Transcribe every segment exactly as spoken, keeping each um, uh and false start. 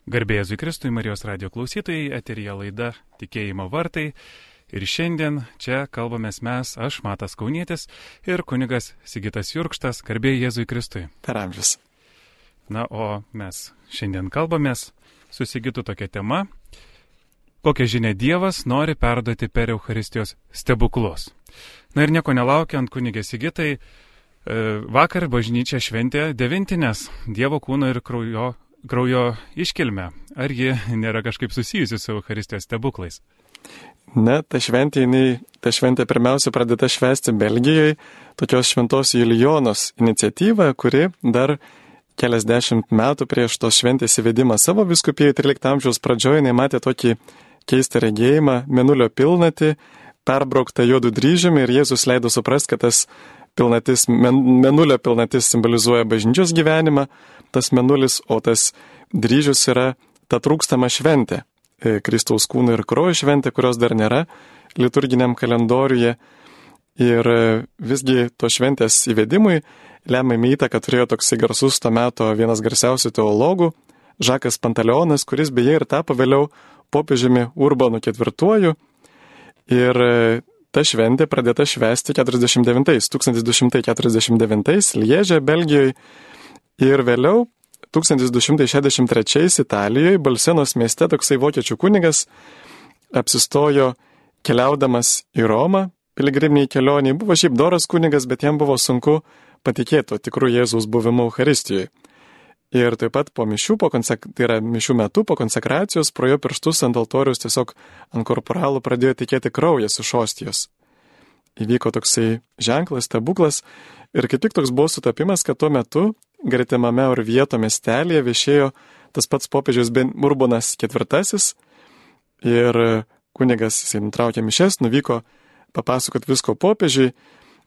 Garbė Jėzui Kristui, Marijos radijo klausytojai, eteryje laida Tikėjimo vartai. Ir šiandien čia kalbamės mes, aš Matas Kaunietis ir kunigas Sigitas Jurkštas. Garbė Jėzui Kristui. Per amžius. Na, o mes šiandien kalbamės su Sigitu tokia tema, kokią žinią Dievas nori perduoti per Eucharistijos stebuklus. Na ir nieko nelaukiant, kunigė Sigitai, vakar bažnyčia šventė devintines Dievo kūno ir kraujo kraujo iškilmę. Ar ji nėra kažkaip susijusi su Eucharistijos stebuklais? Ne, ta šventė, jinai, ta šventė pirmiausia pradėta švęsti Belgijoje, tokios šventos Julijonos iniciatyva, kuri dar keliasdešimt metų prieš tos šventės įvedimą savo vyskupijoje trylikto amžiaus pradžioje, jinai matė tokį keistą regėjimą, mėnulio pilnatį, perbrauktą juodų dryžiumi, ir Jėzus leido suprasti, kad tas pilnatis, mėnulio pilnatis simbolizuoja bažnyčios gyvenimą, tas mėnulis, o tas dryžius yra ta trūkstama šventė, Kristaus kūno ir kraujo šventė, kurios dar nėra liturginiam kalendoriuje. Ir visgi to šventės įvedimui lemiamą įtaką turėjo toksai garsus to meto vienas garsiausių teologų, Žakas Pantaleonas, kuris beje ir tapo vėliau popiežiumi Urbanu ketvirtuoju. Ir ta šventė pradėta švęsti keturiasdešimt devintais, tūkstantis du šimtai keturiasdešimt devintais Lieže, Belgijoje, ir vėliau tūkstantis du šimtai šešiasdešimt trečiais Italijoje, Balsenos mieste, toksai vokiečių kunigas apsistojo keliaudamas į Romą, piligriminiai kelioniai. Buvo šiaip doras kunigas, bet jam buvo sunku patikėti tikrų Jėzaus buvimu Eucharistijoje. Ir taip pat po mišių, po konsek... tai yra mišių metu, po konsekracijos, pro jo pirštus ant altorius tiesiog ant korporalų pradėjo tekėti kraujas iš ostijos. Įvyko toksai ženklas, stebuklas, ir kaip tik toks buvo sutapimas, kad tuo metu gretimame Orvieto miestelėje viešėjo tas pats popiežius Urbanas ketvirtasis, ir kunigas, jisai nutraukė mišes, nuvyko papasakot visko popiežiui,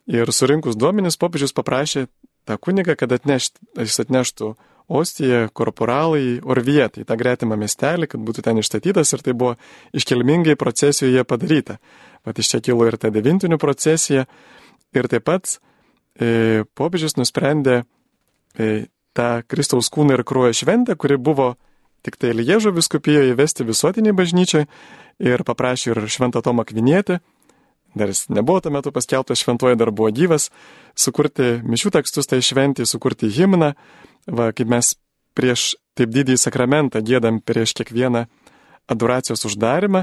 ir surinkus duomenis popiežius paprašė tą kunigą, kad atnešt, jis atneštų ostiją korporalai Orvietą į tą gretimą miestelį, kad būtų ten išstatytas, ir tai buvo iškilmingai procesijoje padaryta. Vat iš čia kilo ir ta devintinių procesija, ir taip pat e, popiežius nusprendė e, tą Kristaus kūno ir kraujo šventę, kuri buvo tik tai Liežo vyskupijoje, įvesti visuotiniai bažnyčiai, ir paprašė ir Šventą Tomą Akvinietį, dar jis nebuvo tuo metu paskelbtas šventuoju, dar buvo gyvas, sukurti mišių tekstus tai šventį, sukurti himną. Va, kaip mes prieš taip didįjį sakramentą giedam prieš kiekvieną adoracijos uždarimą,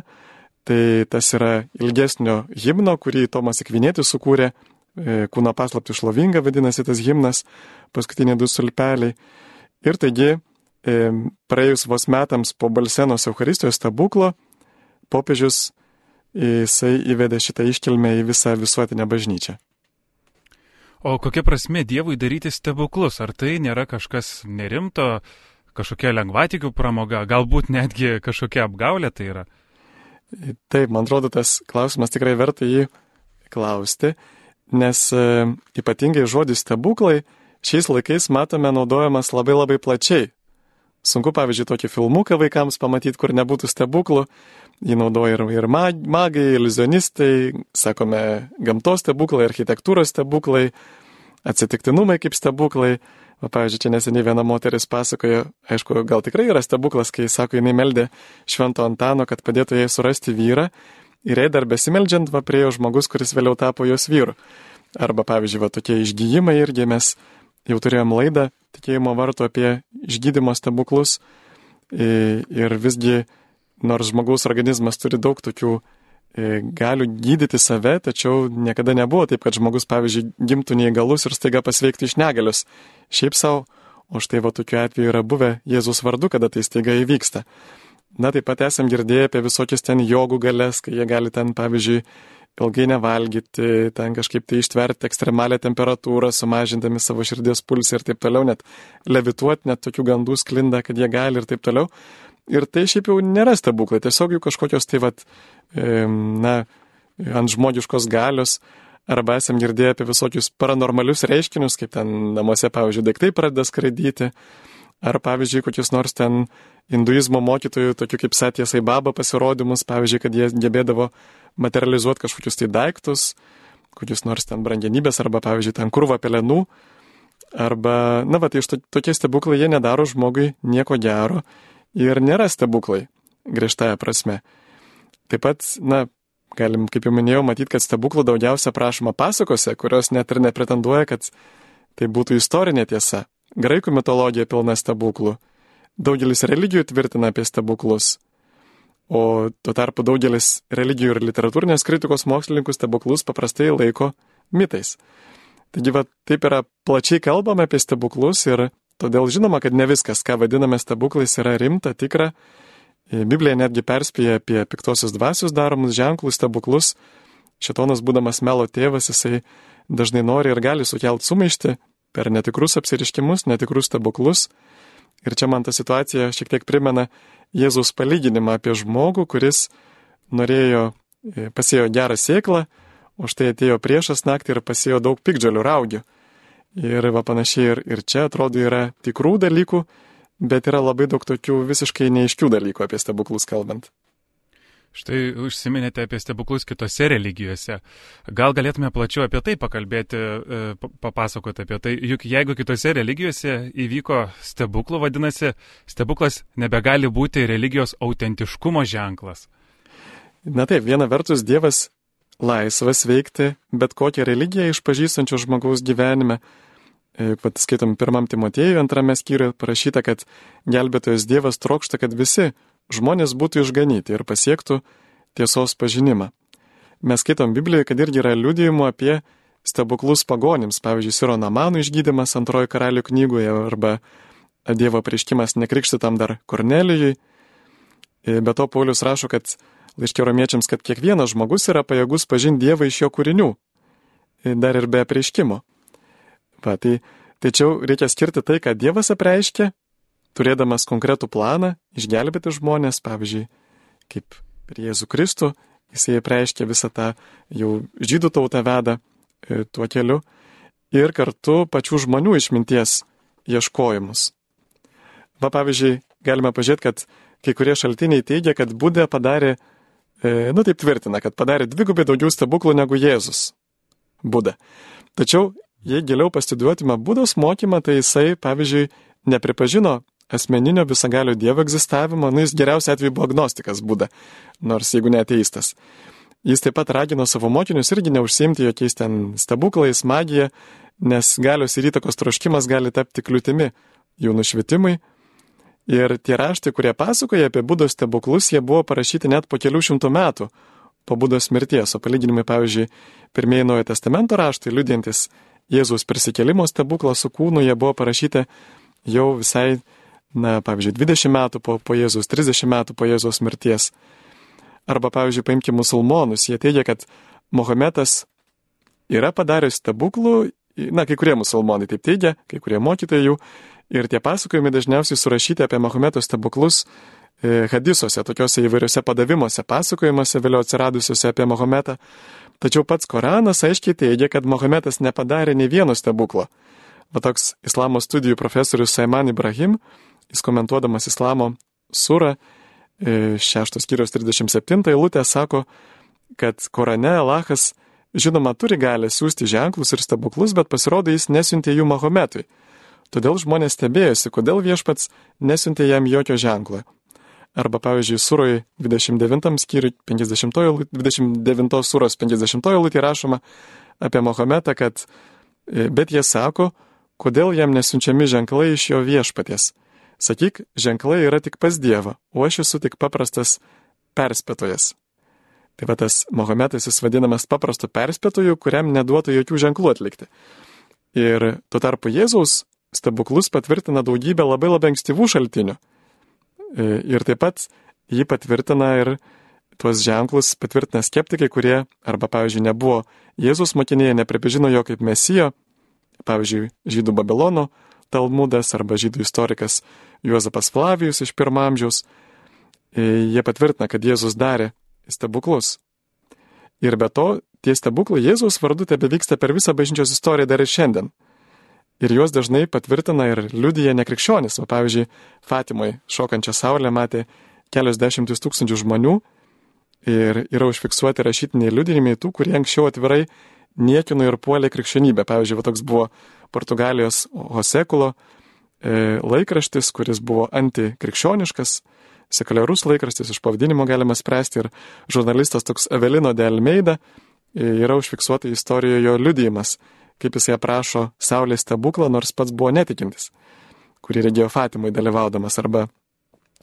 tai tas yra ilgesnio himno, kurį Tomas Akvinietis sukūrė, kūno paslaptį šlovinga vadinasi tas himnas, paskutiniai du stulpeliai. Ir taigi, praėjus vos metams po Balsenos Eucharistijos stebuklo, popiežius jisai įvedė šitą iškilmę į visą visuotinę bažnyčią. O kokia prasmė Dievui daryti stebuklus? Ar tai nėra kažkas nerimto, kažkokia lengvatikių pramoga, galbūt netgi kažkokia apgaulė tai yra? Taip, man atrodo, tas klausimas tikrai verta jį klausti, nes e, ypatingai žodis stebuklai šiais laikais matome naudojamas labai labai plačiai. Sunku, pavyzdžiui, tokį filmuką vaikams pamatyti, kur nebūtų stebuklų. Jį naudoja ir, ir magai, iliuzionistai, sakome, gamtos stebuklai, architektūros stebuklai, atsitiktinumai kaip stebuklai. Va, pavyzdžiui, čia neseniai viena moteris pasakoja, aišku, gal tikrai yra stebuklas, kai, sako, jinai meldė Švento Antano, kad padėtų jai surasti vyrą, ir jai dar besimeldžiant, va, priejo žmogus, kuris vėliau tapo jos vyru. Arba, pavyzdžiui, va, tokie išgyjimai irgi mes jau turėjom laidą Tikėjimo vartų apie išgydymo stebuklus, ir visgi, nors žmogaus organizmas turi daug tokių galių gydyti save, tačiau niekada nebuvo taip, kad žmogus, pavyzdžiui, gimtų neįgalus ir staiga pasveiktų iš negalios. Šiaip savo, o štai va tokiu atveju yra buvę Jėzus vardu, kada tai staiga įvyksta. Na, taip pat esam girdėję apie visokias ten jogų galės, kai jie gali ten, pavyzdžiui, ilgai nevalgyti, ten kažkaip tai ištverti ekstremalią temperatūrą, sumažindami savo širdies pulsą ir taip toliau, net levituoti, net tokių gandų sklinda, kad jie gali ir taip toliau. Ir tai šiaip jau nėra stebuklai, tiesiog jų kažkokios tai, vat, na, ant žmogiškos galios, arba esam girdėję apie visokius paranormalius reiškinius, kaip ten namuose, pavyzdžiui, daiktai pradeda skraidyti, ar, pavyzdžiui, kokius nors ten hinduizmo mokytojų, tokių kaip Satya Sai Baba pasirodymus, pavyzdžiui, kad jie gebėdavo materializuoti kažkokius tai daiktus, kokius nors ten brangenybės, arba, pavyzdžiui, ten krūvą pelenų, arba, na, va, tai iš to, tokie stebuklai, jie nedaro žmogui nieko gero, ir nėra stebuklai, griežtąja prasme. Taip pat, na, galim, kaip jau minėjau, matyti, kad stebuklų daugiausia prašoma pasakose, kurios net ir nepretenduoja, kad tai būtų istorinė tiesa. Graikų mitologija pilna stebuklų. Daugelis religijų tvirtina apie stebuklus. O tuo tarpu daugelis religijų ir literatūrinės kritikos mokslininkų stebuklus paprastai laiko mitais. Taigi, va, taip yra plačiai kalbama apie stebuklus ir todėl žinoma, kad ne viskas, ką vadiname stebuklais, yra rimta, tikra. Biblija netgi perspėja apie piktosios dvasios daromus ženklus, stebuklus. Šėtonas, būdamas melo tėvas, jisai dažnai nori ir gali sukelti sumaištį per netikrus apsiriškimus, netikrus stebuklus. Ir čia man ta situacija šiek tiek primena Jėzaus palyginimą apie žmogų, kuris norėjo, pasėjo gerą sėklą, o štai atėjo priešas naktį ir pasėjo daug piktžolių raugių. Ir va panašiai ir, ir čia atrodo yra tikrų dalykų, bet yra labai daug tokių visiškai neaiškių dalykų apie stebuklus kalbant. Štai užsiminėte apie stebuklus kitose religijose. Gal galėtume plačiau apie tai pakalbėti, papasakoti apie tai. Juk jeigu kitose religijose įvyko stebuklų, vadinasi, stebuklas nebegali būti religijos autentiškumo ženklas. Na taip, viena vertus Dievas laisvas veikti bet kokią religiją išpažįstančio žmogaus gyvenime. Pat skaitom pirmam Timotiejui antrame skyriuje parašyta, kad gelbėtojas Dievas trokšta, kad visi žmonės būtų išganyti ir pasiektų tiesos pažinimą. Mes skaitom Biblijoje, kad irgi yra liudijimų apie stebuklus pagonims, pavyzdžiui, Siro Namanų išgydymas antrojo karalių knygoje arba Dievo apreiškimas nekrikštytam dar Kornelijui. Be to Paulius rašo, kad laiške romiečiams, kad kiekvienas žmogus yra pajėgus pažinti Dievą iš jo kūrinių, dar ir be apreiškimo. Va, tai tačiau reikia skirti tai, ką Dievas apreiškia, turėdamas konkretų planą, išgelbėti žmonės, pavyzdžiui, kaip per Jėzų Kristų, jisai apreiškia visą tą jau žydų tautą veda e, tuo keliu, ir kartu pačių žmonių išminties ieškojimus. Va, pavyzdžiui, galime pažiūrėti, kad kai kurie šaltiniai teigia, kad Buda padarė, e, nu taip tvirtina, kad padarė dvigubai daugiau stebuklų negu Jėzus. Buda. Tačiau, jei giliau pastudijuotume Budos mokymą, tai jisai, pavyzdžiui, nepripažino asmeninio visagalio Dievo egzistavimo, nu jis geriausiu atveju buvo agnostikas Buda, nors jeigu ne ateistas. Jis taip pat ragino savo mokinius irgi neužsiimti jokiais ten stebuklais, magija, nes galios ir įtakos troškimas gali tapti kliūtimi jų nušvitimui. Ir tie raštai, kurie pasakoja apie Budos stebuklus, jie buvo parašyti net po kelių šimtų metų po Budos mirties, o palyginimai, pavyzdžiui, pirmieji Naujojo testamento raštai, liudijantis Jėzaus prisikėlimo stebuklą su kūnu, jie buvo parašyti jau visai, na, pavyzdžiui, dvidešimt metų po, po Jėzaus, trisdešimt metų po Jėzaus mirties. Arba, pavyzdžiui, paimkime musulmonus, jie teigia, kad Mohametas yra padaręs stebuklų, na, kai kurie musulmonai taip teigia, kai kurie mokytojai jų, ir tie pasakojimai dažniausiai surašyti apie Mahometo stebuklus e, hadisuose, tokiuose įvairiuose padavimuose, pasakojimuose vėliau atsiradusiuose apie Mahometą. Tačiau pats Koranas aiškiai teigia, kad Mahometas nepadarė nei vieno stebuklo. Va toks islamo studijų profesorius Saiman Ibrahim, jis komentuodamas islamo surą, šeštos skyriaus trisdešimt septintą eilutę, sako, kad Korane Alachas žinoma turi galę siūsti ženklus ir stebuklus, bet pasirodo jis nesiuntė jų Mahometui. Todėl žmonės stebėjosi, kodėl viešpats nesiuntė jam jokio ženklo. Arba, pavyzdžiui, suroj dvidešimt devintam skyriui, dvidešimt devintos suros penkiasdešimtoje eilutėje rašoma apie Mahometą, kad bet jie sako, kodėl jam nesiunčiami ženklai iš jo viešpaties. Sakyk, ženklai yra tik pas Dievą, o aš esu tik paprastas perspėtojas. Tai va tas Mahometas jis vadinamas paprastu perspėtoju, kuriam neduotų jokių ženklų atlikti. Ir tuo tarpu Jėzaus stebuklus patvirtina daugybę labai labai ankstyvų šaltinių. Ir taip pat jį patvirtina ir tuos ženklus patvirtina skeptikai, kurie arba, pavyzdžiui, nebuvo Jėzaus mokiniai, nepripažino jo kaip mesijo, pavyzdžiui, žydų Babilono Talmudas arba žydų istorikas Juozapas Flavijus iš pirmo amžiaus. Jie patvirtina, kad Jėzus darė stebuklus. Ir be to, tie stebuklai Jėzaus vardu tebevyksta per visą bažnyčios istoriją dar ir šiandien. Ir juos dažnai patvirtina ir liudija nekrikščionis. O pavyzdžiui, Fatimoje šokančią saulę matė kelios dešimtis tūkstančių žmonių ir yra užfiksuoti rašytiniai liudijimai tų, kurie anksčiau atvirai niekino ir puolė krikščionybę. Pavyzdžiui, va toks buvo Portugalijos Hosekulo e, laikraštis, kuris buvo antikrikščioniškas, sekuliarus laikraštis, iš pavadinimo galima spręsti, ir žurnalistas toks Avelino de Almeida e, yra užfiksuota istorijoje jo liudijimas, kaip jisai aprašo Saulės stebuklą, nors pats buvo netikintis, kurį regėjo Fatimui dalyvaudamas. Arba,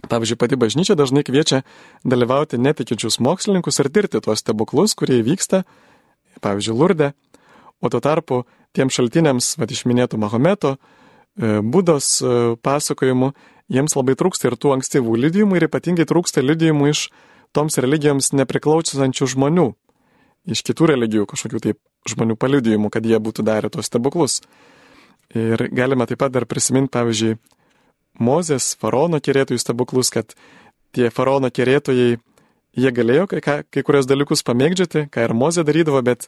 pavyzdžiui, pati bažnyčia dažnai kviečia dalyvauti netikinčius mokslininkus ir tirti tuos stebuklus, kurie vyksta, pavyzdžiui, Lurde, o tuo tarpu tiem šaltiniams, vad išminėtų Mahometo, Budos pasakojimų, jiems labai trūksta ir tų ankstyvų liudijimų, ir ypatingai trūksta liudijimų iš toms religijoms nepriklausančių žmonių, iš kitų religijų kažkokių taip žmonių paliudijimų, kad jie būtų darę tos stebuklus. Ir galime taip pat dar prisiminti, pavyzdžiui, Mozės, faraono kerėtojų stebuklus, kad tie faraono kerėtojai, jie galėjo kai, kai kurios dalykus pamėgdžioti, ką ir Mozė darydavo, bet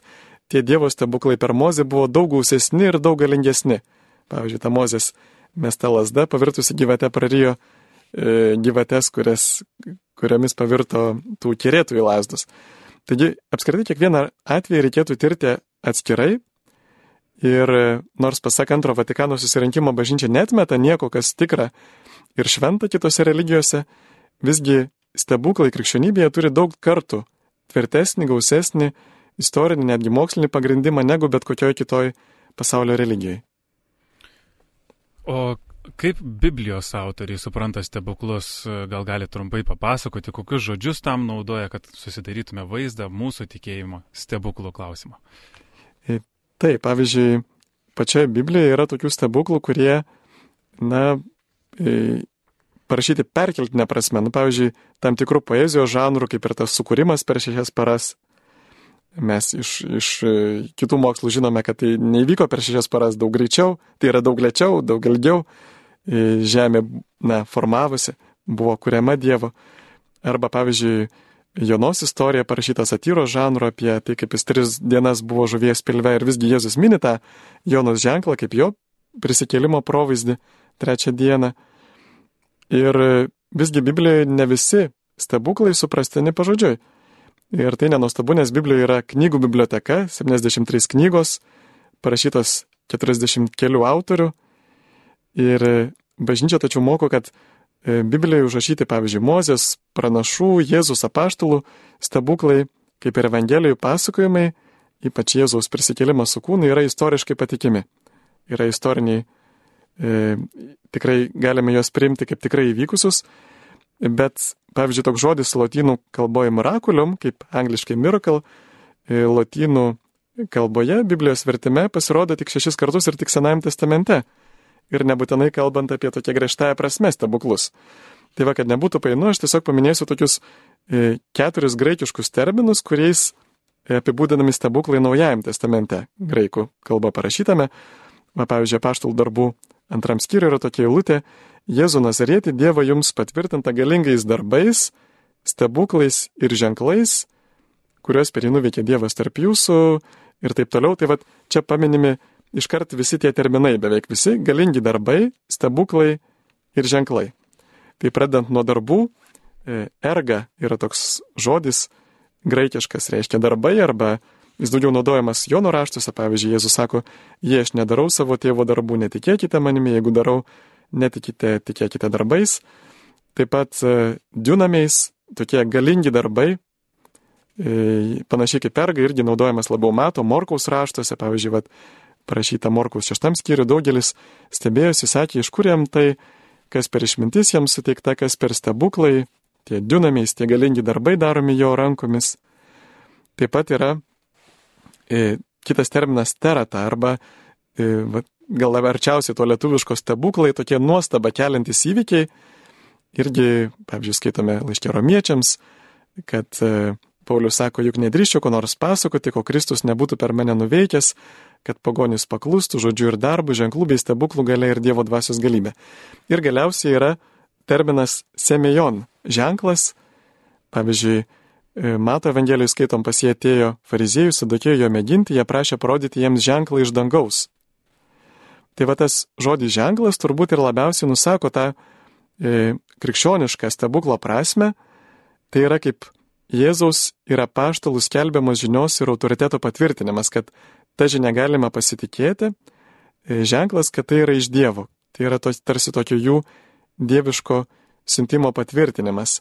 tie Dievo stebuklai per Mozę buvo daug gausesni ir daug galingesni. Pavyzdžiui, ta Mozės mesta lazda pavirtusi gyvate prarijo e, gyvates, kurias, kuriomis pavirto tų kerėtojų lasdos. Taigi, apskritai, kiekvieną atvejį reikėtų tirti atskirai. Ir nors pasak antro Vatikano susirinkimo bažnyčia netmeta nieko, kas tikra ir šventa kitose religijose, visgi stebuklai krikščionybėje turi daug kartų tvirtesnį, gausesnį, istorinį, netgi mokslinį pagrindimą negu bet kokioj kitoj pasaulio religijai. O kaip Biblijos autoriai supranta stebuklus, gal gali trumpai papasakoti, kokius žodžius tam naudoja, kad susidarytume vaizdą mūsų tikėjimo stebuklų klausimą? Taip, pavyzdžiui, pačioje Biblijoje yra tokių stebuklų, kurie, na, parašyti perkeltinę prasme. Nu, pavyzdžiui, tam tikrų poezijos žanrų, kaip ir tas sukūrimas per šešias paras. Mes iš, iš kitų mokslų žinome, kad tai neįvyko per šešias paras daug greičiau, tai yra daug lėčiau, daug ilgiau. Žemė, na, formavosi, buvo kuriama Dievo. Arba, pavyzdžiui, Jonos istorija parašyta satyros žanro apie tai, kaip jis tris dienas buvo žuvies pilve, ir visgi Jėzus mini tą Jonos ženklą kaip jo prisikėlimo provaizdį trečią dieną. Ir visgi Biblijoje ne visi stebuklai suprastini pažodžiui. Ir tai nenuostabu, nes Biblijoje yra knygų biblioteka, septyniasdešimt trys knygos, parašytos keturiasdešimt kelių autorių. Ir bažnyčia tačiau moko, kad Biblijoje užrašyti, pavyzdžiui, Mozės, pranašų, Jėzus apaštalų stebuklai, kaip ir Evangelijų pasakojimai, ypač Jėzaus prisikėlimas su kūnu, yra istoriškai patikimi. Yra istoriniai, e, tikrai galime juos priimti kaip tikrai įvykusius, bet, pavyzdžiui, toks žodis lotynų kalboje miraculum, kaip angliškai miracle, e, lotynų kalboje, Biblijos vertime pasirodo tik šešis kartus ir tik Senajame testamente. Ir nebūtinai kalbant apie tokią griežtąją prasme stebuklus. Tai va, kad nebūtų painu, aš tiesiog paminėsiu tokius e, keturis graikiškus terminus, kuriais apibūdinami stebuklai Naujajame testamente, graikų kalba parašytame. Va, pavyzdžiui, apaštalų darbų antram skyriui yra tokia eilutė: Jėzų Nazarietį Dievą jums patvirtinta galingais darbais, stebuklais ir ženklais, kuriuos per jį nuveikė Dievas tarp jūsų ir taip toliau. Tai va, čia paminimi iškart visi tie terminai, beveik visi, galingi darbai, stebuklai ir ženklai. Tai pradedant nuo darbų, erga yra toks žodis graikiškas, reiškia darbai, arba jis daugiau naudojamas Jono raštuose. Pavyzdžiui, Jėzus sako: jei aš nedarau savo tėvo darbų, netikėkite manimi, jeigu darau, netikite, tikėkite darbais. Taip pat diunamiais, tokie galingi darbai, panašiai kaip erga, irgi naudojamas labiau Mato, Morkaus raštuose. Pavyzdžiui, vat, parašyta Morkaus šeštam skyriui, daugelis stebėjosi, sakė, iš kur jam tai, kas per išmintis jam suteikta, kas per stebuklai, tie diunamiais, tie galingi darbai daromi jo rankomis. Taip pat yra e, kitas terminas terata, arba e, va, gal arčiausiai to lietuviško stebuklai, tokie nuostaba keliantis įvykiai. Irgi, pavyzdžiui, skaitome laiške romiečiams, kad e, Paulius sako, juk nedrįščiau ko nors pasakoti, ko Kristus nebūtų per mane nuveikęs, kad pagonys paklustų žodžiu ir darbų, ženklų bei stebuklų galia ir Dievo dvasios galybė. Ir galiausiai yra terminas semejon, ženklas. Pavyzdžiui, Mato Evangelijoje skaitom, pas jie atėjo fariziejų, sadokėjo jo mėginti, jie prašė parodyti jiems ženklą iš dangaus. Tai va, tas žodis ženklas turbūt ir labiausiai nusako tą e, krikščionišką stebuklo prasme. Tai yra kaip Jėzaus ir apaštalų skelbiamos žinios ir autoriteto patvirtinimas, kad ta žinia galima pasitikėti, ženklas, kad tai yra iš Dievo, tai yra tos, tarsi tokio jų dieviško siuntimo patvirtinimas.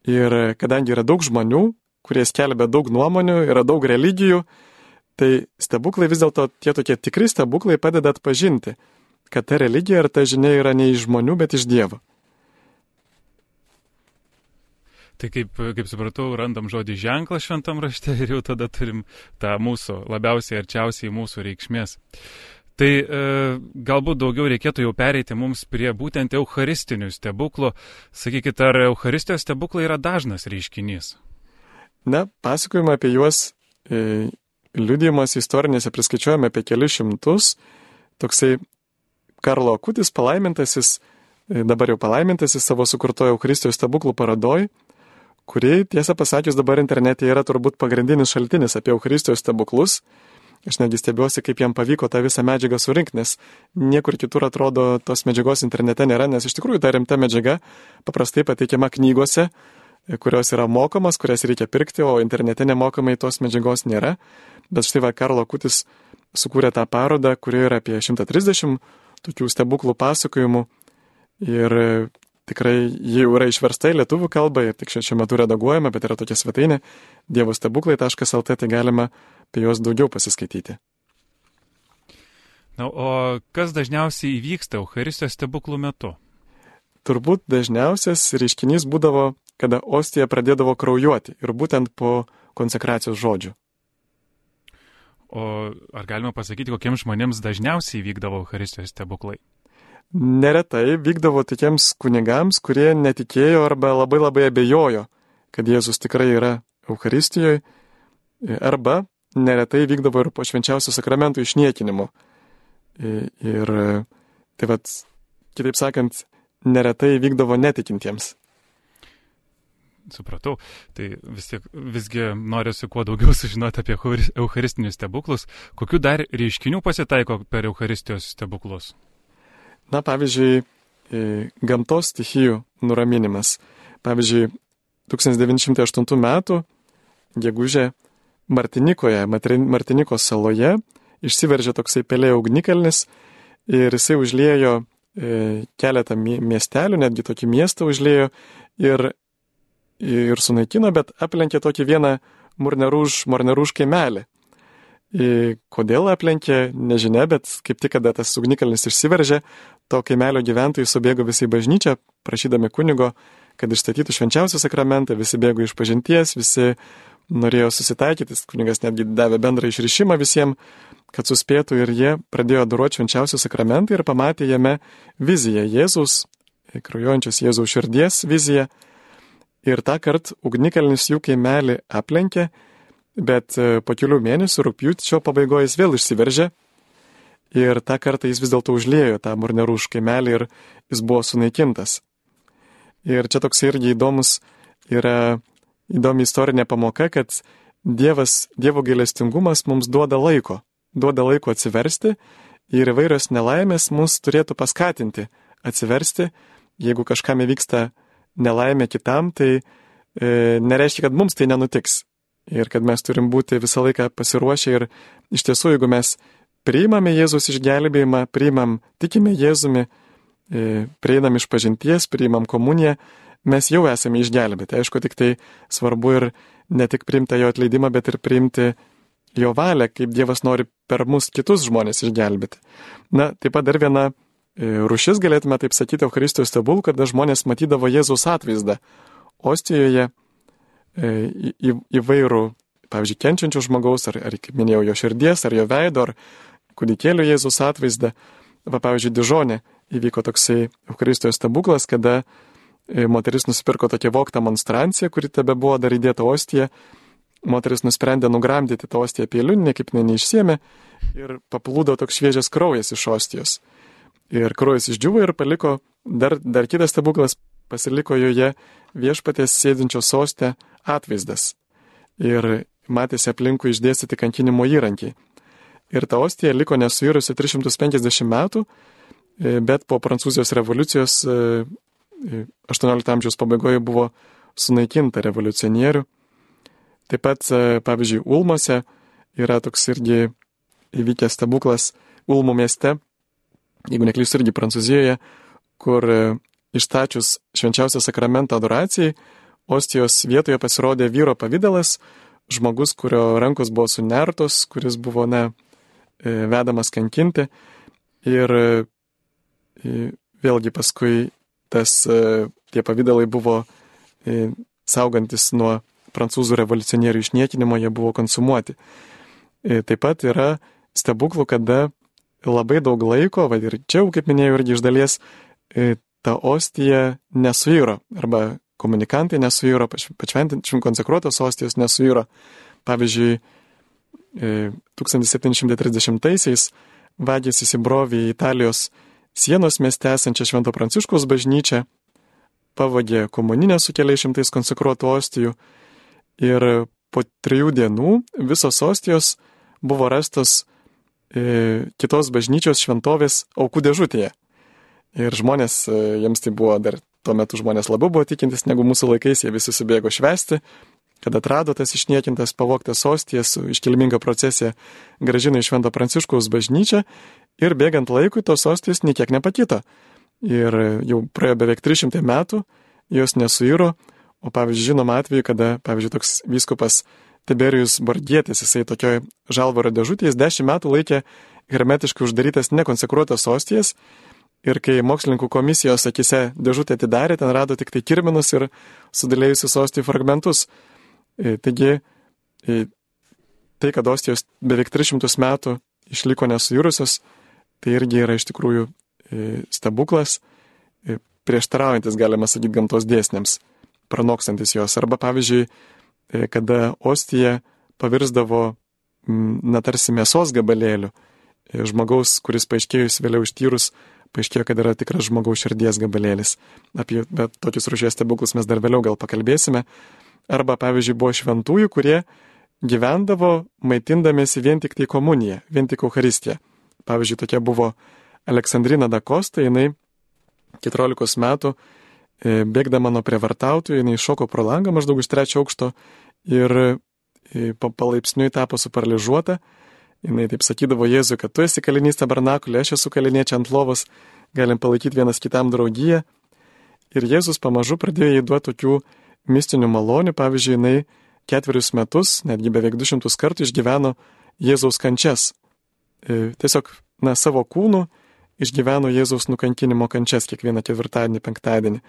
Ir kadangi yra daug žmonių, kurie skelbia daug nuomonių, yra daug religijų, tai stebuklai vis dėlto tie tokie tikri stebuklai padeda atpažinti, kad ta religija ar ta žinia yra ne iš žmonių, bet iš Dievo. Tai kaip, kaip supratau, randam žodį ženklas šventam rašte ir jau tada turim tą mūsų labiausiai arčiausiai mūsų reikšmės. Tai e, galbūt daugiau reikėtų jau pereiti mums prie būtent eucharistinių stebuklų. Sakykit, ar eucharistijos stebuklai yra dažnas reiškinys? Na, pasakojimą apie juos e, liudijimas istorinėse priskaičiuojame apie kelius šimtus. Toksai Karlo Akutis palaimintasis, e, dabar jau palaimintasis savo sukurtojo eucharistijos stebuklų parodoj, kuri, tiesą pasakius, dabar internete yra turbūt pagrindinis šaltinis apie eucharistijos stebuklus. Aš netgi stebiuosi, kaip jam pavyko tą visą medžiagą surinkti, nes niekur kitur atrodo tos medžiagos internete nėra, nes iš tikrųjų ta rimta medžiaga paprastai pateikiama knygose, kurios yra mokamos, kurias reikia pirkti, o internete nemokamai tos medžiagos nėra. Bet štai va, Karlo Akutis sukūrė tą parodą, kuri yra apie šimtą trisdešimt tokių stebuklų pasakojimų ir tikrai ji jau yra išversta į lietuvių kalbą ir tik šiuo metu redaguojama, bet yra tokia svetainė dievostebuklai taškas el te, tai galima apie juos daugiau pasiskaityti. Na, o kas dažniausiai įvyksta eucharistijos stebuklų metu? Turbūt dažniausias reiškinys būdavo, kada ostija pradėdavo kraujuoti ir būtent po konsekracijos žodžių. O ar galima pasakyti, kokiems žmonėms dažniausiai vykdavo eucharistijos stebuklai? Neretai vykdavo tokiems kunigams, kurie netikėjo arba labai labai abejojo, kad Jėzus tikrai yra Eucharistijoje, arba neretai vykdavo ir po švenčiausio sakramento išniekinimo. Ir tai vat, kitaip sakant, neretai vykdavo netikintiems. Supratau. Tai vis tiek, visgi norėsiu kuo daugiau sužinoti apie eucharistinius stebuklus. Kokių dar reiškinių pasitaiko per eucharistijos stebuklus? Na, pavyzdžiui, gamtos stichijų nuraminimas. Pavyzdžiui, tūkstantis devyni šimtai aštuntų metų gegužę Martinikoje, Martinikos saloje, išsiveržė toksai pelė ugnikalnis ir jisai užliejo e, keletą miestelių, netgi tokį miestą užliejo ir, ir sunaikino, bet aplenkė tokį vieną Mornerūž, Mornerūž kaimelį. E, kodėl aplenkė, nežinia, bet kaip tik, kada tas ugnikalnis išsiveržė, to kaimelio gyventojai subėgo visi į bažnyčią, prašydami kunigo, kad išstatytų švenčiausią sakramentą, visi bėgo iš pažinties, visi norėjo susitaikyti, kunigas netgi davė bendrą išrišimą visiems, kad suspėtų ir jie pradėjo adoruoti švenčiausią sakramentą ir pamatė jame viziją Jėzaus, kraujuojančios Jėzaus širdies viziją. Ir tą kartą ugnikalnis jų kaimelį aplenkė, bet po kelių mėnesių rugpjūčio pabaigoje jis vėl išsiveržė ir tą kartą jis vis dėlto užliejo tą Mornerūž kaimelį ir jis buvo sunaikintas. Ir čia toks irgi įdomus yra įdomi istorinė pamoka, kad Dievas, Dievo gailestingumas mums duoda laiko, duoda laiko atsiversti ir įvairios nelaimės mus turėtų paskatinti atsiversti. Jeigu kažkam įvyksta nelaimė kitam, tai e, nereiškia, kad mums tai nenutiks. Ir kad mes turim būti visą laiką pasiruošę ir iš tiesų, jeigu mes priimame Jėzus išgelbėjimą, priimam, tikime Jėzumi, prieinam iš pažinties, priimam komuniją, mes jau esame išgelbėti. Aišku, tik tai svarbu ir ne tik priimti jo atleidimą, bet ir priimti jo valią, kaip Dievas nori per mus kitus žmonės išgelbėti. Na, taip pat dar viena rūšis, galėtume taip sakyti, Eucharistijos stebuklų, kada žmonės matydavo Jėzaus atvaizdą ostijoje, Į, į, įvairų, pavyzdžiui, kenčiančių žmogaus, ar, ar, kaip minėjau, jo širdies, ar jo veido, ar kūdikėlio Jėzus atvaizdą. Va, pavyzdžiui, Dižone įvyko toksai Eucharistijos stebuklas, kada moteris nusipirko tokią voktą monstranciją, kuri tebe buvo dar įdėta ostija. Moteris nusprendė nugramdyti tą ostiją peiliu, niekaip ne neišsiėmė ir paplūdo toks šviežias kraujas iš ostijos. Ir kraujas išdžiuvo ir paliko dar, dar kitas stebuklas, pasiliko joje viešpaties sėdinčios soste atvaizdas. Ir matėsi aplinkui išdėstyti kankinimo įrankiai. Ir ta ostija liko nesuirusi tris šimtus penkiasdešimt metų, bet po Prancūzijos revoliucijos aštuoniolikto amžiaus pabaigoje buvo sunaikinta revoliucionierių. Taip pat, pavyzdžiui, Ulmose yra toks irgi įvykęs stebuklas Ulmų mieste. jeigu neklystu irgi Prancūzijoje, kur išstačius švenčiausią sakramentą adoracijai, ostijos vietoje pasirodė vyro pavidalas, žmogus, kurio rankos buvo sunertos, kuris buvo, ne, vedamas kankinti. Ir vėlgi paskui tas, tie pavidalai buvo saugantis nuo prancūzų revoliucionierių išniekinimo, jie buvo konsumuoti. Taip pat yra stebuklų, kada labai daug laiko, va ir čia, kaip minėjau, irgi iš dalies, ta ostija nesuiro, arba komunikantai nesuiro, pašventinčiam konsekruotos ostijos nesuiro. Pavyzdžiui, tūkstantis septyni šimtai trisdešimtaisiais vagys įsibrovė į Italijos sienos mieste esančią Švento Pranciškaus bažnyčią, pavogė komuninę su keliais šimtais konsekruotų ostijų ir po trijų dienų visos ostijos buvo rastos e, kitos bažnyčios šventovės aukų dėžutėje. Ir žmonės, e, jiems tai buvo dar tuo metu žmonės labiau buvo tikintis negu mūsų laikais, jie visi subėgo švęsti, kad atrado tas išniekintas, pavogtas ostijas, iškilminga procesija grąžino į Švento Pranciškaus bažnyčią ir bėgant laikui tos ostijos niekiek nepakito. Ir jau praėjo beveik trys šimtai metų, jos nesuiro, o pavyzdžiui, žinoma atveju, kada, pavyzdžiui, toks vyskupas Tiberijus Bordietis, jisai tokioj žalvaro dėžutėje dešimt metų laikė hermetiškai uždarytas nekonsekruotas ostijas ir kai mokslininkų komisijos akise dėžutę atidarė, ten rado tik tai kirminus ir sudėlėjusius ostijų fragmentus. Taigi, tai, kad ostijos beveik tris šimtus metų išliko nesuirusios, tai irgi yra iš tikrųjų stebuklas, prieštaraujantis, galima sakyti, gamtos dėsniams, pranokstantis jos. Arba, pavyzdžiui, kada ostija pavirsdavo, na, tarsi mėsos gabalėlių, žmogaus, kuris paaiškėjus vėliau ištyrus, paaiškėjo, kad yra tikras žmogaus širdies gabalėlis. Apie tokius rūšies stebuklus mes dar vėliau gal pakalbėsime. Arba, pavyzdžiui, buvo šventųjų, kurie gyvendavo maitindamėsi vien tik tai komuniją, vien tik Eucharistiją. Pavyzdžiui, tokia buvo Aleksandrina da Costa, jinai keturiolikos metų bėgdama nuo prievartautojų, jinai šoko pro langą maždaug iš trečio aukšto ir palaipsniui tapo suparalyžiuota. Jinai taip sakydavo Jėzui, kad tu esi kalinys tabernakulė, aš esu kalinė čia ant lovos, galim palaikyti vienas kitam draugiją. Ir Jėzus pamažu pradėjo jai duoti tokių mistinių malonių. Pavyzdžiui, jinai ketverius metus, netgi beveik du šimtus kartų išgyveno Jėzaus kančias. Tiesiog, na, savo kūnų išgyveno Jėzaus nukankinimo kančias kiekvieną ketvirtadienį, penktadienį.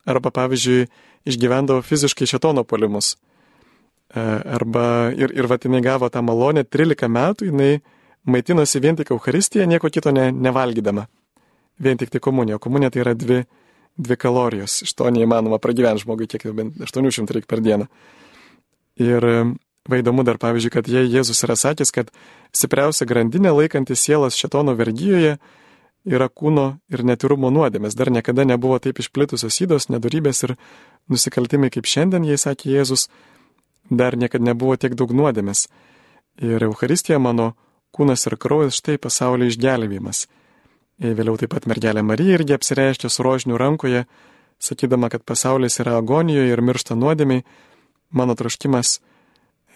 Arba, pavyzdžiui, išgyvendavo fiziškai šėtono puolimus. Arba ir, ir vat jinai gavo tą malonę, trylika metų jinai maitinosi vien tik Eucharistiją, nieko kito ne, nevalgydama. Vien tik tai komunija. Komunija tai yra dvi, dvi kalorijos. Iš to neįmanoma pragyventi žmogui, kiek bent aštuoni šimtai reikia per dieną. Ir vaidomu dar, pavyzdžiui, kad jei Jėzus yra sakęs, kad stipriausia grandinė laikantis sielas šėtono vergijoje yra kūno ir netyrumo nuodėmės. Dar niekada nebuvo taip išplitusios ydos, nedorybės ir nusikaltimai kaip šiandien, jei sakė Jėzus, dar niekada nebuvo tiek daug nuodėmės. Ir Eucharistija mano kūnas ir kraujas, štai pasaulio išgelbėjimas. Ir vėliau taip pat mergelė Marija irgi apsireiškė su rožiniu rankoje, sakydama, kad pasaulis yra agonijoje ir miršta nuodėmiai. Mano troškimas,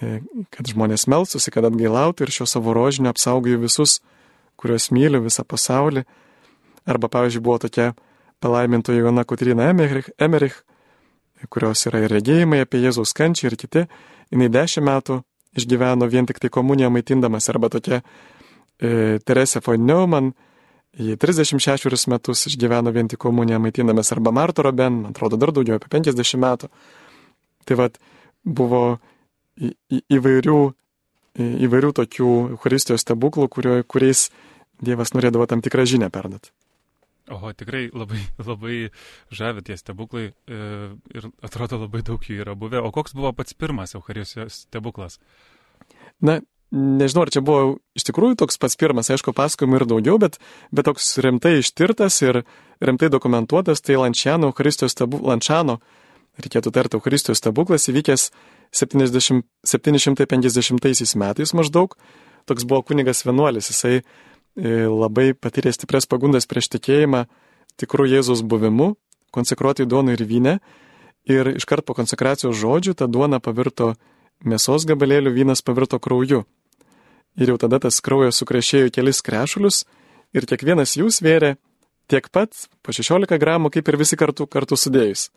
kad žmonės melstųsi, kad atgailautų ir šio savo rožinio apsaugoju visus, kuriuos myliu, visą pasaulį. Arba, pavyzdžiui, buvo tokia palaimintoji Joana Kotryna Emerich, Emerich, kurios yra ir regėjimai apie Jėzaus kančią ir kiti. Jinai dešimt metų išgyveno vien tik tai komuniją maitindamas. Arba tokia e, Teresė von Neumann, jie trisdešimt šešerius metus išgyveno vien tik komuniją maitindamas. Arba Marta Roben, man atrodo, dar daugiau, apie penkiasdešimt metų. Tai vat buvo į, į, įvairių, į, įvairių tokių Eucharistijos stebuklų, kurio, kuriais Dievas norėdavo tam tikrą žinią perduoti. Oho, tikrai labai, labai žavi tie stebuklai e, ir atrodo labai daug jų yra buvę. O koks buvo pats pirmas Eucharistijos stebuklas? Na, nežinau, ar čia buvo iš tikrųjų toks pats pirmas, aišku, pasakojimų ir daugiau, bet, bet toks rimtai ištirtas ir rimtai dokumentuotas, tai Lančiano Eucharistijos stebuklas, Lančiano, reikėtų tarti, Eucharistijos stebuklas įvykęs septyni šimtai penkiasdešimtaisiais metais maždaug. Toks buvo kunigas vienuolis, jisai labai patyrė stiprias pagundas prieš tikėjimą tikrų Jėzaus buvimu, konsekruotai duonai ir vyne. Ir iškart po konsekracijos žodžių ta duona pavirto mėsos gabalėlių, vynas pavirto krauju. Ir jau tada tas kraujas sukrešėjo kelis krešulius ir kiekvienas jų svėrė tiek pat, po šešiolika gramų, kaip ir visi kartu, kartu sudėjus.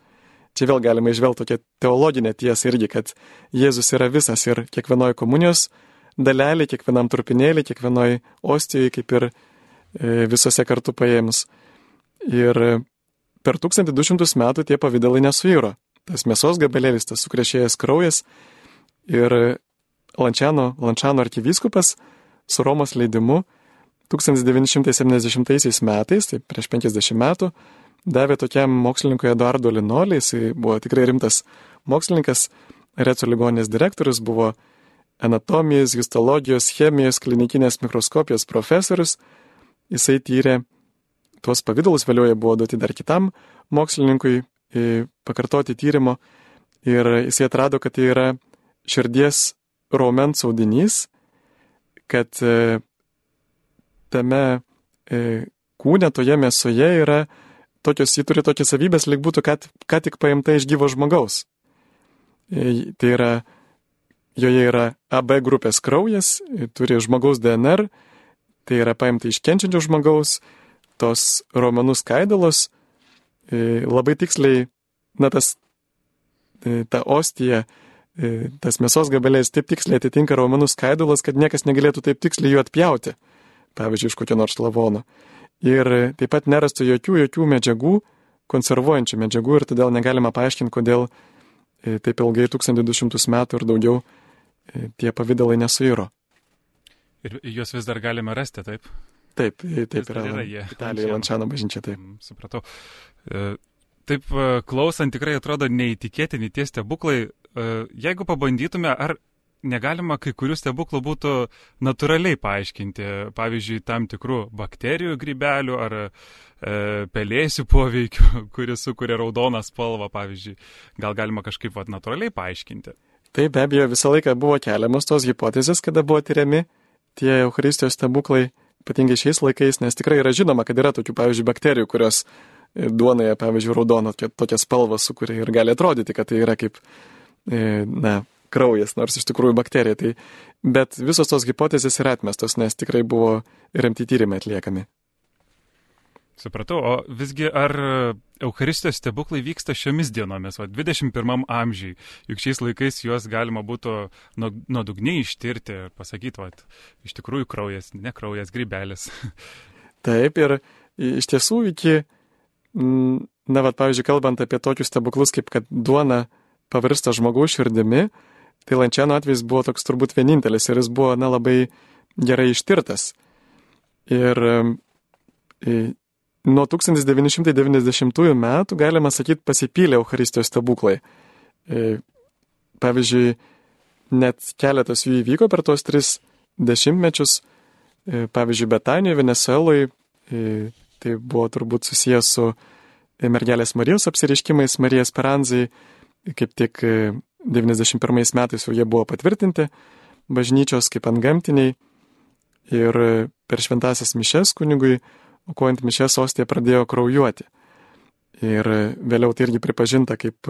Čia vėl galima išvelgti tokią teologinę tiesą irgi, kad Jėzus yra visas ir kiekvienoje komunijos dalelė, kiekvienam trupinėlį, kiekvienoje ostijoje, kaip ir visose kartu paėmus. Ir per tūkstantį du šimtus metų tie pavidalai nesuiro. Tas mėsos gabalėlis, tas sukrešėjęs kraujas ir Lančiano, Lančiano arkivyskupas su Romos leidimu tūkstantis devyni šimtai septyniasdešimtaisiais metais, tai prieš penkiasdešimt metų, davė tokiam mokslininkui Eduardo Linolį, jisai buvo tikrai rimtas mokslininkas, Reco ligoninės direktorius, buvo anatomijos, histologijos, chemijos, klinikinės mikroskopijos profesorius. Jisai tyrė tuos pavidalus, vėliau jie buvo duoti dar kitam mokslininkui pakartoti tyrimo ir jisai atrado, kad tai yra širdies raumens audinys, kad tame kūne, toje mėsoje yra tokios, jį turi tokias savybės, lyg būtų ką, ką tik paimta iš gyvo žmogaus. Tai yra, joje yra A B grupės kraujas, turi žmogaus D N R, tai yra paimta iš kenčiančio žmogaus, tos raumenų skaidulos, labai tiksliai, na tas, ta ostija, tas mėsos gabalėlis taip tiksliai atitinka raumenų skaidulas, kad niekas negalėtų taip tiksliai jų atpjauti, pavyzdžiui, iš kokio nors lavono. Ir taip pat nerasta jokių, jokių medžiagų, konservuojančių medžiagų ir todėl negalima paaiškinti, kodėl taip ilgai tūkstantį du šimtus metų ir daugiau tie pavidalai nesuiro. Ir juos vis dar galime rasti, taip? Taip, taip yra, yra jie. Italijoje Lančiano bažnyčia, taip. Mm, supratau. Taip, klausant, tikrai atrodo neįtikėtini tie stebuklai. Jeigu pabandytume, ar negalima kai kurių stebuklų būtų natūraliai paaiškinti, pavyzdžiui, tam tikrų bakterijų grybelių ar e, pelėsių poveikių, kuris sukuria raudoną spalvą, pavyzdžiui. Gal galima kažkaip vat, natūraliai paaiškinti? Taip, be abejo, visą laiką buvo keliamos tos hipotezės, kada buvo tyriami tie Eucharistijos stebuklai, ypatingai šiais laikais, nes tikrai yra žinoma, kad yra tokių, pavyzdžiui, bakterijų, kurios duonoje, pavyzdžiui, raudoną tokią spalvą sukuria ir gali atrodyti, kad tai yra kaip, na, kraujas, nors iš tikrųjų bakterija. Tai, bet visos tos hipotezės yra atmestos, nes tikrai buvo rimti tyrimai atliekami. Supratau, o visgi ar Eucharistijos stebuklai vyksta šiomis dienomis, va, dvidešimt pirmam amžiui, juk šiais laikais juos galima būtų nuodugniai ištirti ir pasakyti, va, iš tikrųjų kraujas, ne kraujas, grybelis. Taip, ir iš tiesų iki, na, va, pavyzdžiui, kalbant apie tokius stebuklus, kaip kad duona pavirsta žmogaus širdimi, tai Lančiano atvejis buvo toks turbūt vienintelis ir jis buvo, na, labai gerai ištirtas. Ir nuo tūkstantis devyni šimtai devyniasdešimtųjų metų, galima sakyti, pasipylė Eucharistijos stebuklai. Pavyzdžiui, net keletas jų įvyko per tuos tris dešimtmečius. Pavyzdžiui, Betanijoje, Venezueloje, tai buvo turbūt susijęs su mergelės Marijos apsireiškimais, Marija Speranzai, kaip tik devyniasdešimt pirmais metais jau jie buvo patvirtinti bažnyčios kaip antgamtiniai ir per šventąsias mišes kunigui, aukojant mišes, ostija pradėjo kraujuoti. Ir vėliau tai irgi pripažinta kaip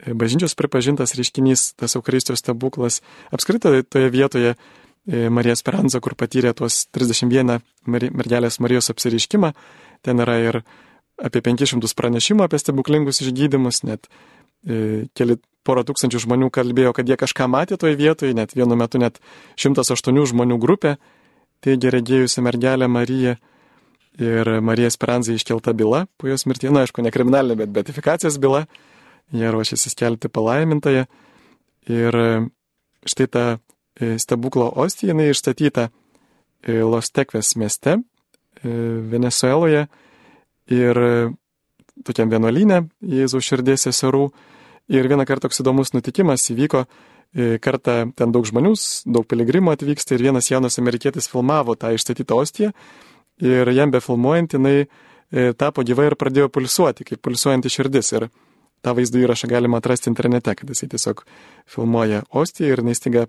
bažnyčios pripažintas reiškinys, tas Eucharistijos stebuklas. Apskritai toje vietoje Marija Speranza, kur patyrė tuos trisdešimt vieną mergelės Marijos apsireiškimą, ten yra ir apie penkis šimtus pranešimų apie stebuklingus išgydymus, net e, keli porą tūkstančių žmonių kalbėjo, kad jie kažką matė toje vietoje, net vienu metu net šimtas aštuonių žmonių grupė teigė regėjusi mergelę Mariją ir Marija Speranza iškelta byla po jos mirties, na, aišku, ne kriminalinė, bet beatifikacijos byla, jie ruošėsi skelbti palaimintąją ir štai ta stebuklo ostija, jinai išstatyta Los Tekves mieste, Venezueloje ir tokiam vienuolyne Jėzaus širdies seserų. Ir vieną kartą toks įdomus nutikimas įvyko, kartą ten daug žmonių, daug piligrimų atvyksta ir vienas jaunas amerikietis filmavo tą išstatytą ostiją ir jam befilmuojant jinai tapo gyva ir pradėjo pulsuoti, kaip pulsuojanti širdis. Ir tą vaizdo įrašą galima atrasti internete, kad jisai tiesiog filmuoja ostiją ir jinai staiga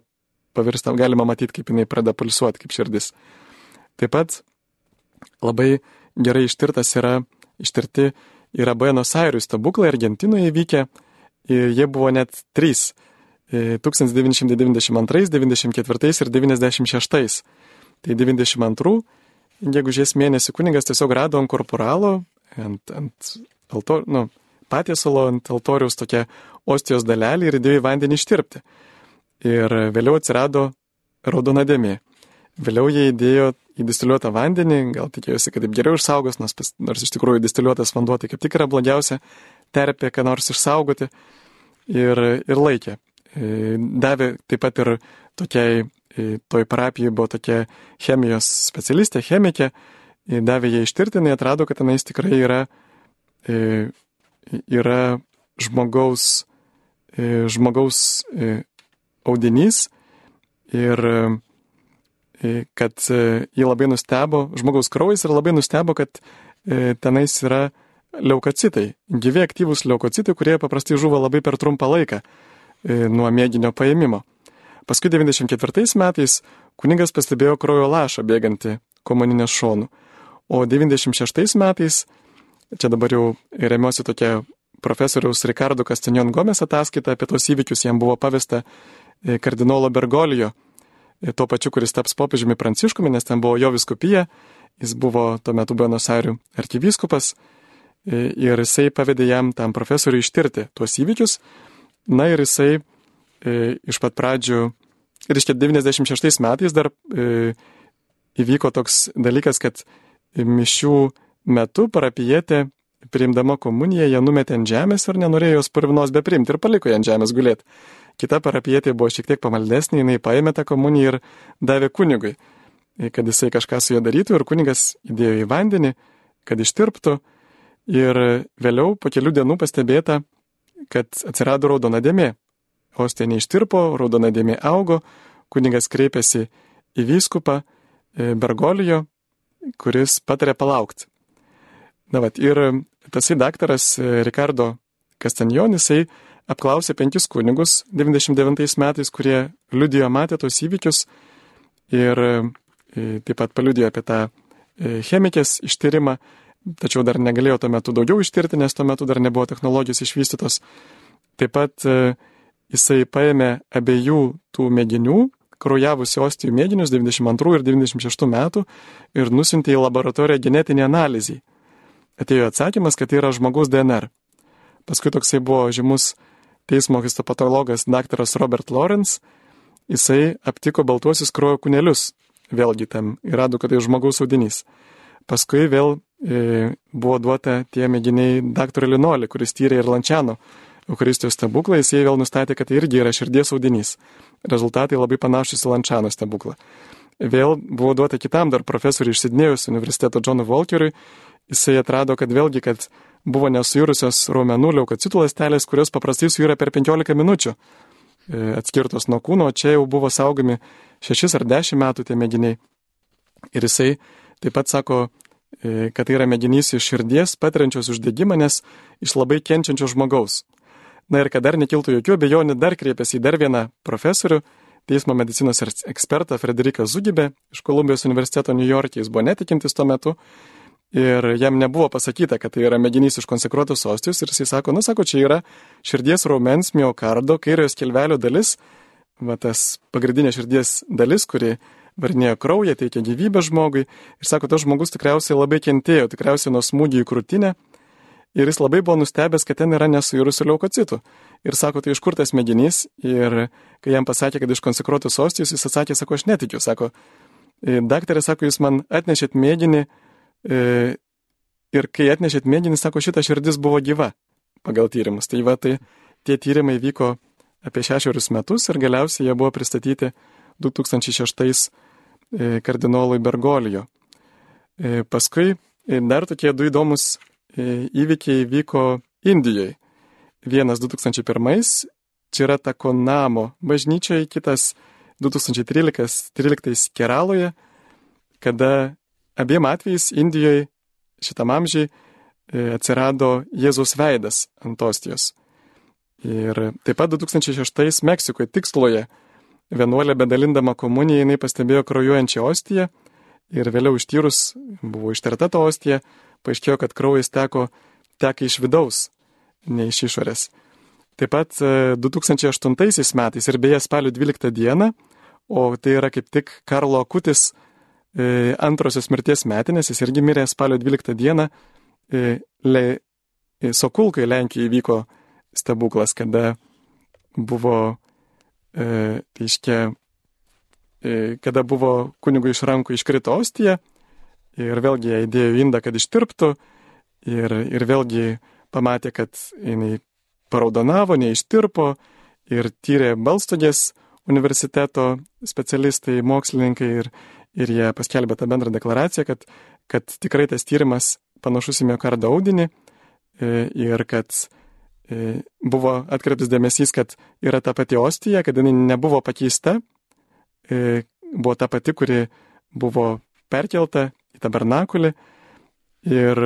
pavirsta, galima matyti, kaip jinai pradeda pulsuoti, kaip širdis. Taip pat labai gerai ištirtas yra, ištirti yra Buenos Airių stebuklai Argentinoje įvykę. Jie buvo net trys - tūkstantis devyni šimtai devyniasdešimt antrais, devyniasdešimt ketvirtais ir devyniasdešimt šeštais. Tai devyniasdešimt antrų gegužės mėnesį kunigas tiesiog rado ant korporalo, ant, ant altor, nu, patiesalo, ant altoriaus tokia ostijos dalelį ir įdėjo į vandenį ištirpti. Ir vėliau atsirado raudona dėmė. Vėliau jie įdėjo į distiliuotą vandenį, gal tikėjosi, kad taip geriau išsaugos, nors, nors iš tikrųjų distiliuotas vanduo tai kaip tik yra blogiausia terpė, ką nors išsaugoti. Ir, ir laikė. Davė taip pat ir tokiai, toj parapijai buvo tokia chemijos specialistė, chemikė, davė ją ištirti, jinai atrado, kad tenais tikrai yra, yra žmogaus, žmogaus audinys ir kad jį labai nustebo, žmogaus kraujas ir labai nustebo, kad tenais yra leukocitai, gyvi aktyvūs leukocitai, kurie paprastai žuvo labai per trumpą laiką nuo mėginio paėmimo. Paskui devyniasdešimt ketvirtais metais kunigas pastebėjo kraujo lašą bėgantį komuninės šonų, o devyniasdešimt šeštais metais, čia dabar jau remiuosi tokia profesoriaus Ricardo Castañón Gómez ataskaita apie tos įvykius, jam buvo pavesta kardinolo Bergolijo, tuo pačiu, kuris taps popiežiumi Pranciškumi, nes ten buvo jo vyskupija, jis buvo tuo metu Buenos Airių arkivyskupas ir jisai pavedė jam tam profesoriui ištirti tuos įvykius. Na ir jisai e, iš pat pradžių, reiškia devyniasdešimt šeštais metais dar e, įvyko toks dalykas, kad mišių metu parapijietė priimdama komuniją, ją numetė ant žemės ir nenorėjo jos purvinos bepriimti ir paliko ją ant žemės gulėti. Kita parapijietė buvo šiek tiek pamaldesnė, jinai paėmė tą komuniją ir davė kunigui, kad jisai kažką su ją darytų ir kunigas įdėjo į vandenį, kad ištirptų ir vėliau po kelių dienų pastebėta, kad atsirado raudona dėmė. Ostija neištirpo, raudona dėmė augo, kunigas kreipėsi į vyskupą Bergolijo, kuris patarė palaukti. Na vat, ir tasai daktaras Ricardo Castañón, jisai apklausė penkis kunigus devyniasdešimt devintais metais, kurie liudijo matė tos įvykius ir taip pat paliudijo apie tą chemikės ištyrimą, tačiau dar negalėjo tuo metu daugiau ištirti, nes tuo metu dar nebuvo technologijos išvystytos. Taip pat jisai paėmė abiejų tų mėginių, kraujavusių ostijų mėginius devyniasdešimt antrų ir devyniasdešimt šeštų metų ir nusintė į laboratoriją genetinį analizį. Atėjo atsakymas, kad tai yra žmogaus D N R. Paskui toksai buvo žymus teismo histopatologas daktaras Robert Lawrence, jisai aptiko baltuosius kraujo kūnelius, vėlgi tam ir rado, kad tai žmogaus audinys. Paskui vėl e, buvo duota tie mėginiai daktarui Linoli, kuris tyrė ir Lančiano Eucharistijos stebuklą, jisai vėl nustatė, kad tai irgi yra širdies audinys. Rezultatai labai panašus į Lančiano stebuklą. Vėl buvo duota kitam dar profesoriui iš Sidnėjaus universiteto Johnui Walkeriui, jisai atrado, kad vėlgi, kad buvo nesuirusios raumenų leukocitų ląstelės, kurios paprastai suyra per penkiolika minučių atskirtos nuo kūno, o čia jau buvo saugomi šešis ar dešimt metų tie mėginiai. Ir jisai taip pat sako, kad tai yra mėginys iš širdies, patiriančios uždegimą, nes iš labai kenčiančio žmogaus. Na ir kad dar nekiltų jokių abejonių, dar kreipėsi į dar vieną profesorių, teismo medicinos ekspertą Frederiką Zugibę iš Kolumbijos universiteto New York'e, jis buvo netikintis tuo metu. Ir jam nebuvo pasakyta, kad tai yra mėginys iš konsekruotos ostijos ir jisai sako, nu sako, čia yra širdies raumens miokardo, kairiojo skilvelio dalis, va tas pagrindinė širdies dalis, kuri varinėjo kraują, teikia gyvybę žmogui. Ir sako, tas žmogus tikriausiai labai kentėjo, tikriausiai nuo smūgių į krūtinę. Ir jis labai buvo nustebęs, kad ten yra nesuirusių leukocitų. Ir sako, tai iš kur tas mėginys? Ir kai jam pasakė, kad iš konsekruotos ostijos, jis atsakė, sako, aš netikiu. Sako, daktarė, sako, jūs man atnešėt mėginį, ir kai atnešėt mėginį, sako, šita širdis buvo gyva pagal tyrimus. Tai va, tai tie tyrimai vyko apie šešerius metus ir galiausiai jie buvo pristatyti du tūkstančiai šeštais kardinolui Bergolijo. Paskui dar tokie du įdomus įvykiai vyko Indijoje. Vienas du tūkstančiai pirmais, čia yra Takonamo bažnyčioje, kitas du tūkstančiai tryliktais Keraloje, kada abiem atvejais Indijoje šitam amžiai atsirado Jėzaus veidas ant ostijos. Ir taip pat du tūkstančiai šeštais Meksikoje Tiksloje vienuolė bedalindama komuniją, jinai pastebėjo kraujuojančią ostiją ir vėliau ištyrus buvo ištirta ta ostija, paaiškėjo, kad kraujas teko, teka iš vidaus, ne iš išorės. Taip pat du tūkstančiai aštuntaisiais metais ir beje spalio dvyliktą dieną, o tai yra kaip tik Karlo Akutis e, antrosios mirties metinės, jis irgi mirė spalio dvyliktą dieną, e, le, e, Sokulkai Lenkijoje įvyko stebuklas, kada buvo, e, reiškia, e, kada buvo kunigui iš rankų iškrito ostija ir vėlgi ją įdėjo indą, kad ištirptų ir, ir vėlgi pamatė, kad jinai paraudonavo, neištirpo ir tyrė Balstogės universiteto specialistai, mokslininkai ir, ir jie paskelbė tą bendrą deklaraciją, kad, kad tikrai tas tyrimas panašus į miokardo audinį ir kad buvo atkreiptas dėmesys, kad yra ta pati ostija, kad jinai nebuvo pakeista, buvo ta pati, kuri buvo perkelta į tabernakulį ir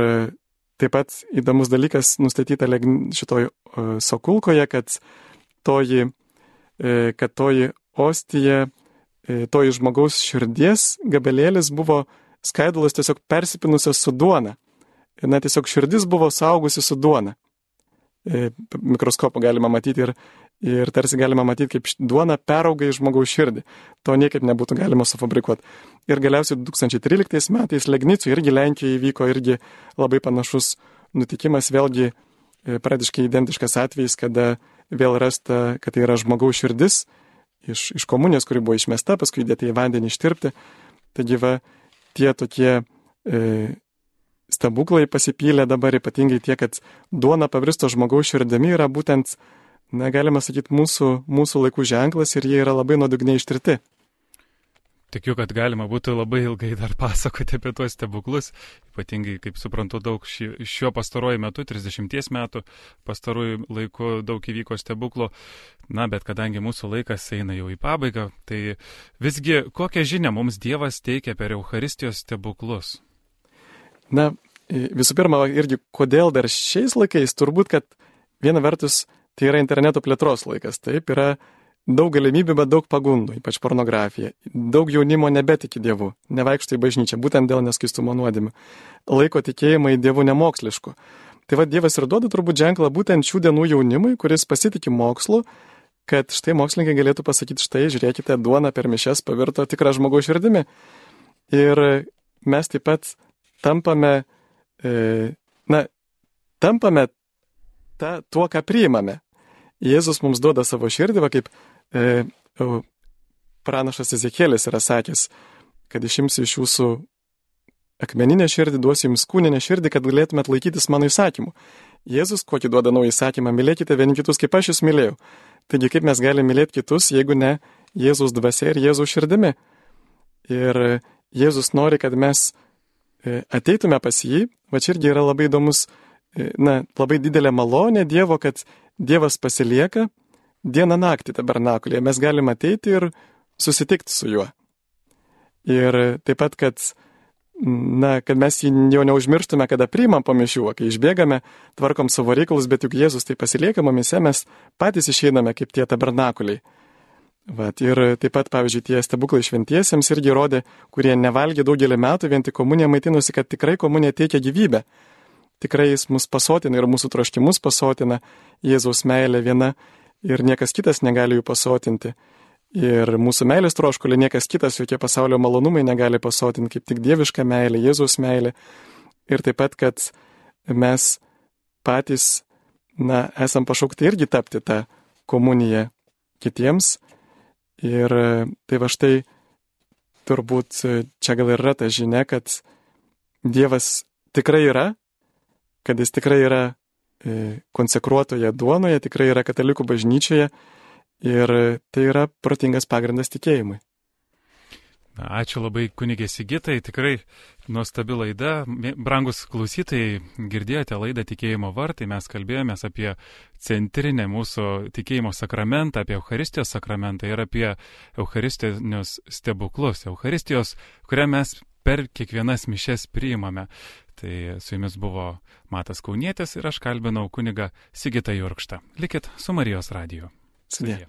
taip pat įdomus dalykas nustatyta šitoj Sokulkoje, kad toji, kad toji ostija, toji žmogaus širdies gabelėlis buvo skaidulos tiesiog persipinusios su duona. Na, tiesiog širdis buvo saugusi su duona. Mikroskopu galima matyti ir, ir tarsi galima matyti, kaip duona perauga į žmogaus širdį. To niekaip nebūtų galima sufabrikuoti. Ir galiausiai du tūkstančiai tryliktais metais Legnicų irgi Lenkijoje įvyko irgi labai panašus nutikimas, vėlgi praktiškai identiškas atvejis, kada vėl rasta, kad tai yra žmogaus širdis iš, iš komunijos, kuri buvo išmesta, paskui įdėta į vandenį ištirpti. Taigi va, tie tokie e, stebuklai pasipylė dabar, ypatingai tie, kad duona pavirsto žmogaus širdimi yra būtent, na, galima sakyti, mūsų, mūsų laikų ženklas ir jie yra labai nuodugniai ištirti. Tikiu, kad galima būtų labai ilgai dar pasakoti apie tuos stebuklus, ypatingai, kaip suprantu, daug ši, šiuo pastaruoju metu, trisdešimties metų pastaruoju laiku daug įvyko stebuklų, na, bet kadangi mūsų laikas eina jau į pabaigą, tai visgi kokią žinią mums Dievas teikia per Eucharistijos stebuklus? Na, visų pirma, irgi kodėl dar šiais laikais, turbūt, kad viena vertus tai yra interneto plėtros laikas, taip, yra daug galimybių, bet daug pagundų, ypač pornografija. Daug jaunimo nebetiki Dievu, nevaikšto į bažnyčią, būtent dėl neskaistumo nuodėmių. Laiko tikėjimą į Dievų nemokslišku. Tai va, Dievas ir duoda turbūt ženklą būtent šių dienų jaunimui, kuris pasitiki mokslu, kad štai mokslininkai galėtų pasakyti, štai, žiūrėkite, duona per mišias pavirto tikrą žmogaus širdimi. Ir mes taip pat tampame, e, na, tampame ta, tuo, ką priimame. Jėzus mums duoda savo širdį, va kaip e, pranašas Ezekielis yra sakęs, kad išimsiu iš jūsų akmeninę širdį, duosiu jums kūninę širdį, kad galėtumėt laikytis mano įsakymų. Jėzus kokį duoda naują įsakymą, mylėkite vieni kitus, kaip aš jūs mylėjau. Taigi kaip mes galime mylėti kitus, jeigu ne Jėzus dvasia ir Jėzus širdimi. Ir Jėzus nori, kad mes ateitume pas jį, va čia irgi yra labai įdomus, na, labai didelė malonė Dievo, kad Dievas pasilieka dieną naktį tabernakulėje. Mes galime ateiti ir susitikti su juo. Ir taip pat, kad, na, kad mes jį jau neužmirštume, kada priimam po mišių, kai išbėgame, tvarkom savo reikalus, bet juk Jėzus tai pasilieka mumise, mes patys išeiname kaip tie tabernakuliai. Vat, ir taip pat, pavyzdžiui, tie stebuklai šventiesiems irgi rodė, kurie nevalgė daugelį metų, vien tik komunija maitinosi, kad tikrai komunija teikia gyvybę. Tikrai jis mus pasotina ir mūsų troškimus pasotina, Jėzaus meilė viena ir niekas kitas negali jų pasotinti. Ir mūsų meilės troškulį niekas kitas, jokie pasaulio malonumai negali pasotinti, kaip tik dieviška meilė, Jėzaus meilė. Ir taip pat, kad mes patys, na, esam pašaukti irgi tapti tą komuniją kitiems. Ir tai va štai turbūt čia gal yra ta žinia, kad Dievas tikrai yra, kad jis tikrai yra konsekruotoje duonoje, tikrai yra katalikų bažnyčioje ir tai yra protingas pagrindas tikėjimui. Ačiū labai kunigė Sigitai, tikrai nuostabi laida. Brangus klausytojai, girdėjote laidą Tikėjimo vartai, mes kalbėjomės apie centrinę mūsų tikėjimo sakramentą, apie Eucharistijos sakramentą ir apie Eucharistinius stebuklus, Eucharistijos, kurią mes per kiekvienas mišias priimame. Tai su jumis buvo Matas Kaunietis ir aš kalbinau kunigą Sigitą Jurkštą. Likit su Marijos radiju. Sudie.